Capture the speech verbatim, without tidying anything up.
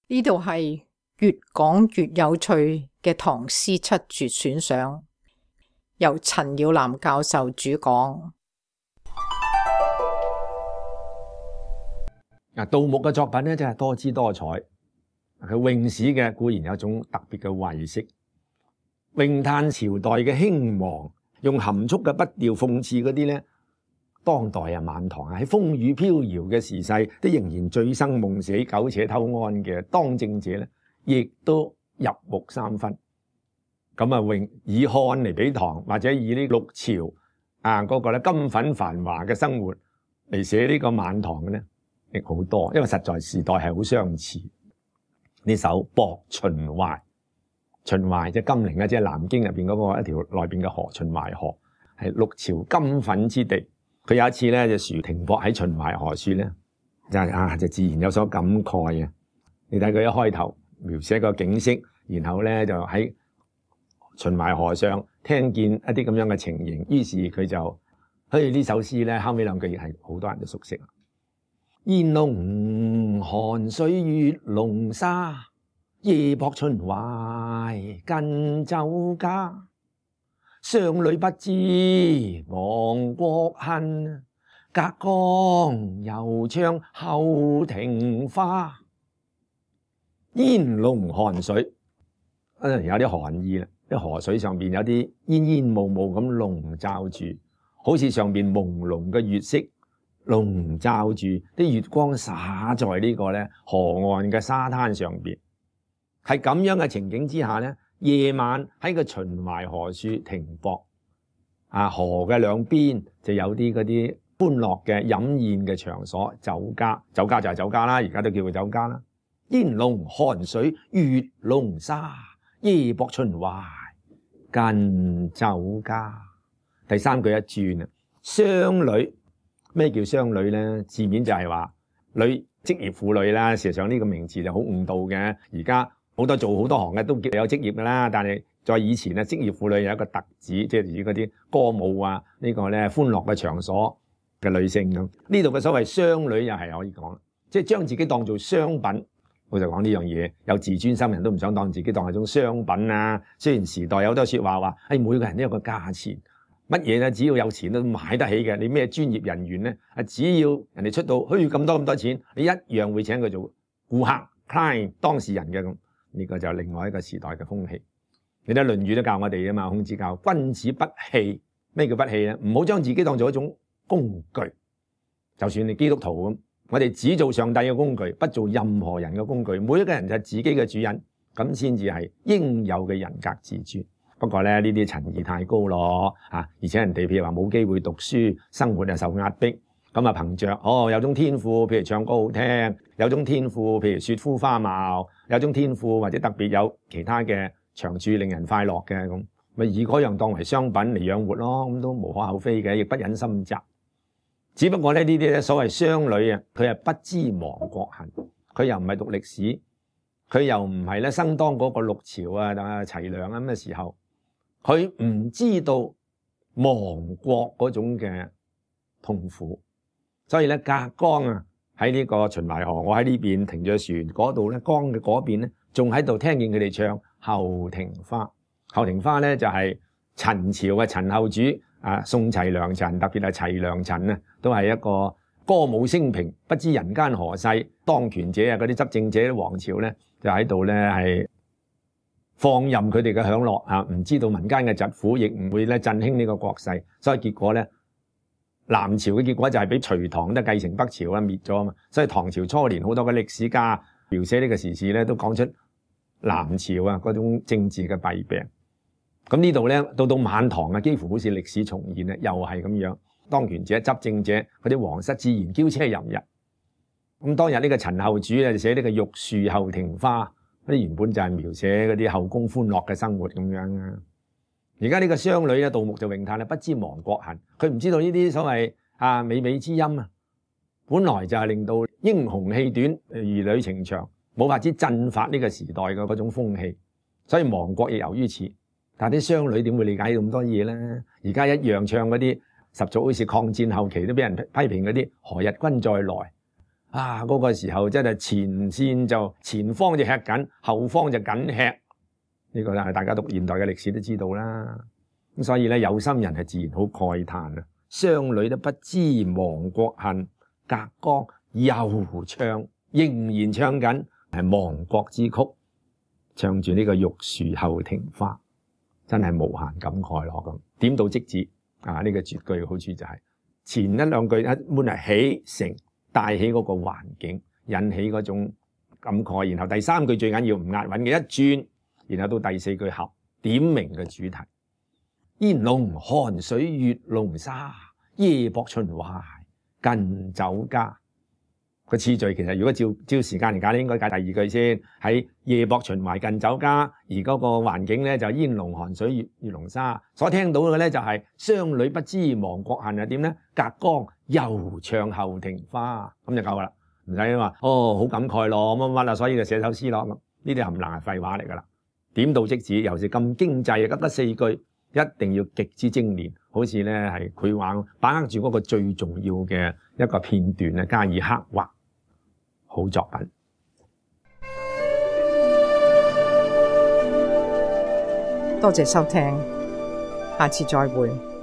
呢度係越講越有趣嘅唐詩七絕選賞，由陳耀南教授主講。嗱，杜牧嘅作品咧真係多姿多彩。佢詠史嘅固然有一種特別嘅慧色，詠嘆朝代嘅興亡，用含蓄嘅筆調諷刺嗰啲咧，當代啊晚唐啊喺風雨飄搖嘅時勢，都仍然醉生夢死、苟且偷安嘅當政者咧，亦都入木三分。咁啊，詠以漢嚟比唐，或者以呢六朝啊嗰個咧金粉繁華嘅生活嚟寫呢個晚唐嘅咧，亦好多，因為實在時代係好相似。呢首《泊秦淮》，秦淮即係金陵啊，即係南京入邊嗰個一條內邊嘅河，秦淮河係六朝金粉之地。佢有一次咧就豎停泊喺秦淮河處咧，就啊就自然有所感慨啊！你睇佢一開頭描寫個景色，然後咧就喺秦淮河上聽見一啲咁樣嘅情形，於是佢就嘿呢首詩咧後尾兩句亦係好多人都熟悉。煙籠寒水月籠沙，夜泊秦淮近酒家。商女不知亡國恨，隔江猶唱後庭花。煙籠寒水，有啲寒意啦，啲河水上邊有啲煙煙霧霧咁籠罩住，好似上邊朦朧嘅月色籠罩住，啲月光灑在呢個咧河岸嘅沙灘上邊。係咁樣嘅情景之下咧，夜晚喺個秦淮河處停泊，啊河嘅兩邊就有啲嗰啲歡樂嘅飲宴嘅場所，酒家，酒家就係酒家啦，而家都叫佢酒家啦。煙籠寒水月籠沙，夜泊秦淮近酒家。第三句一轉啊，商女，咩叫商女咧？字面就係話女，職業婦女啦。事實上呢個名詞就好誤導嘅。而家好多做好多行嘅都叫有職業噶啦，但係在以前咧，職業婦女有一個特指，即係指嗰啲歌舞啊，呢個咧歡樂嘅場所嘅女性咁。呢度嘅所謂商女又係可以講，即係將自己當做商品。我就講呢樣嘢，有自尊心人都唔想當自己當係種商品啊。雖然時代有好多說話話，誒每個人都有個價錢，乜嘢咧只要有錢都買得起嘅。你咩專業人員咧，啊只要人哋出到虛咁多咁多錢，你一樣會請佢做顧客 client 當事人嘅咁。呢個就係另外一個時代嘅風氣。你睇《論語》都教我哋啊嘛，孔子教君子不器。咩叫不器咧？唔好將自己當做一種工具。就算你基督徒咁，我哋只做上帝嘅工具，不做任何人嘅工具。每一個人就係自己嘅主人，咁先至係應有嘅人格自尊。不過咧，呢啲陳義太高咯，啊！而且人哋譬如話冇機會讀書，生活又受壓迫。咁啊，憑着哦有種天賦，譬如唱歌好聽，有種天賦，譬如雪膚花貌，有種天賦或者特別有其他嘅長處令人快樂嘅咁，咪以嗰樣當為商品嚟養活咯，咁都無可厚非嘅，亦不忍心責。只不過咧呢啲咧所謂商女啊，佢係不知亡國恨，佢又唔係讀歷史，佢又唔係咧生當嗰個六朝啊啊齊梁咁嘅時候，佢唔知道亡國嗰種嘅痛苦。所以咧，隔江啊，喺呢個秦淮河，我喺呢邊停咗船，嗰度咧江嘅嗰邊咧，仲喺度聽見佢哋唱後庭花。後庭花咧就係陳朝嘅陳後主啊，宋齊梁陳，特別係齊梁陳啊，都係一個歌舞升平，不知人間何世，當權者啊，嗰啲執政者王朝咧，就喺度咧係放任佢哋嘅享樂啊，唔知道民間嘅疾苦，亦唔會咧振興呢個國勢，所以結果咧。南朝嘅結果就係俾隋唐都繼承北朝啦，滅咗啊嘛。所以唐朝初年好多嘅歷史家描寫呢個時事咧，都講出南朝啊嗰種政治嘅弊病。咁呢度咧到到晚唐啊，幾乎好似歷史重現咧，又係咁樣。當權者、執政者嗰啲皇室自然驕奢淫逸。咁當日呢個陳後主咧就寫呢個玉樹後庭花，嗰啲原本就係描寫嗰啲後宮歡樂嘅生活咁樣啊。而家呢個商女咧，杜牧就詠嘆啦，不知亡國恨。佢唔知道呢啲所謂啊美美之音啊，本來就係令到英雄氣短、兒女情長，冇法子振發呢個時代嘅嗰種風氣。所以亡國亦由於此。但係啲商女點會理解咁多嘢咧？而家一樣唱嗰啲十足好似抗戰後期都俾人批評嗰啲何日君再來啊，嗰個時候真係前線就前方就吃緊，後方就緊吃。呢個係大家讀現代嘅歷史都知道啦。咁所以咧，有心人係自然好慨嘆啊！商女都不知亡國恨，隔江猶唱，仍然唱緊係亡國之曲，唱住呢個玉樹後庭花，真係無限感慨咯咁。點到即止啊！呢個絕句嘅好處就係前一兩句一般係起承帶起嗰個環境，引起嗰種感慨，然後第三句最緊要唔押韻嘅一轉，然後到第四句合點明嘅主題。煙籠寒水月籠沙，夜泊秦淮近酒家。個次序其實如果照照時間嚟解咧，應該解第二句先，喺夜泊秦淮近酒家，而嗰個環境咧就煙籠寒水月月籠沙，所聽到嘅咧就係商女不知亡國恨係點咧？隔江猶唱後庭花，咁就夠啦，唔使話哦好感慨咯乜乜啊，所以就寫首詩咯咁，呢啲冚唪唥係廢話嚟噶啦，點到即止，尤其是咁經濟，急得四句，一定要極之精煉，好似咧係繪畫，把握住嗰個最重要嘅一個片段咧，加以刻畫。好作品，多謝收聽，下次再會。